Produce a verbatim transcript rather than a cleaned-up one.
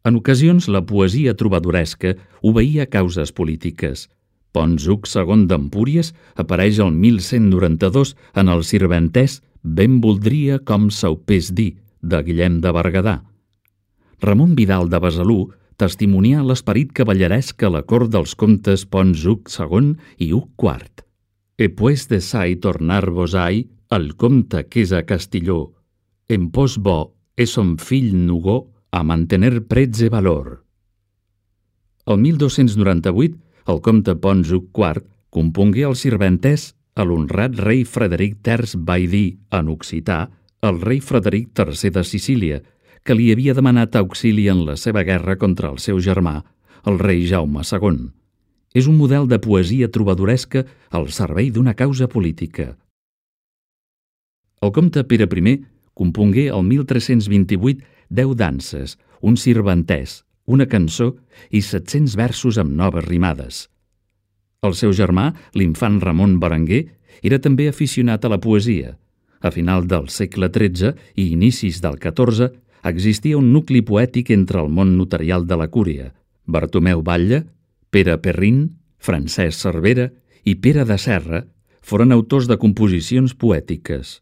En ocasions, la poesia trobadoresca obeïa a causes polítiques. Pons Hug segon d'Empúries apareix el mil cent noranta-dos en el sirventès Ben voldria com saupés dir, de Guillem de Berguedà. Ramon Vidal de Besalú testimonià l'esperit cavalleresc a la cort dels comtes Pons Hug segon i Hug quart. E pues de sai tornar-vos-ai el comte que és a Castilló, en pos bo e son fill Nugó a mantener prets e valor. El mil dos-cents noranta-vuit, el comte Pons Hug quart compongué el sirventès a l'honrat rei Frederic terç vai dir, en occità, el rei Frederic tercer de Sicília, que li havia demanat auxili en la seva guerra contra el seu germà, el rei Jaume segon. És un model de poesia trobadoresca al servei d'una causa política. El comte Pere primer compongué el mil tres-cents vint-i-vuit deu danses, un sirventès, una cançó i set-cents versos amb noves rimades. El seu germà, l'infant Ramon Berenguer, era també aficionat a la poesia. A final del segle tretze i inicis del catorze existia un nucli poètic entre el món notarial de la Cúria. Bartomeu Batlle, Pere Perrin, Francesc Cervera i Pere de Serra foren autors de composicions poètiques.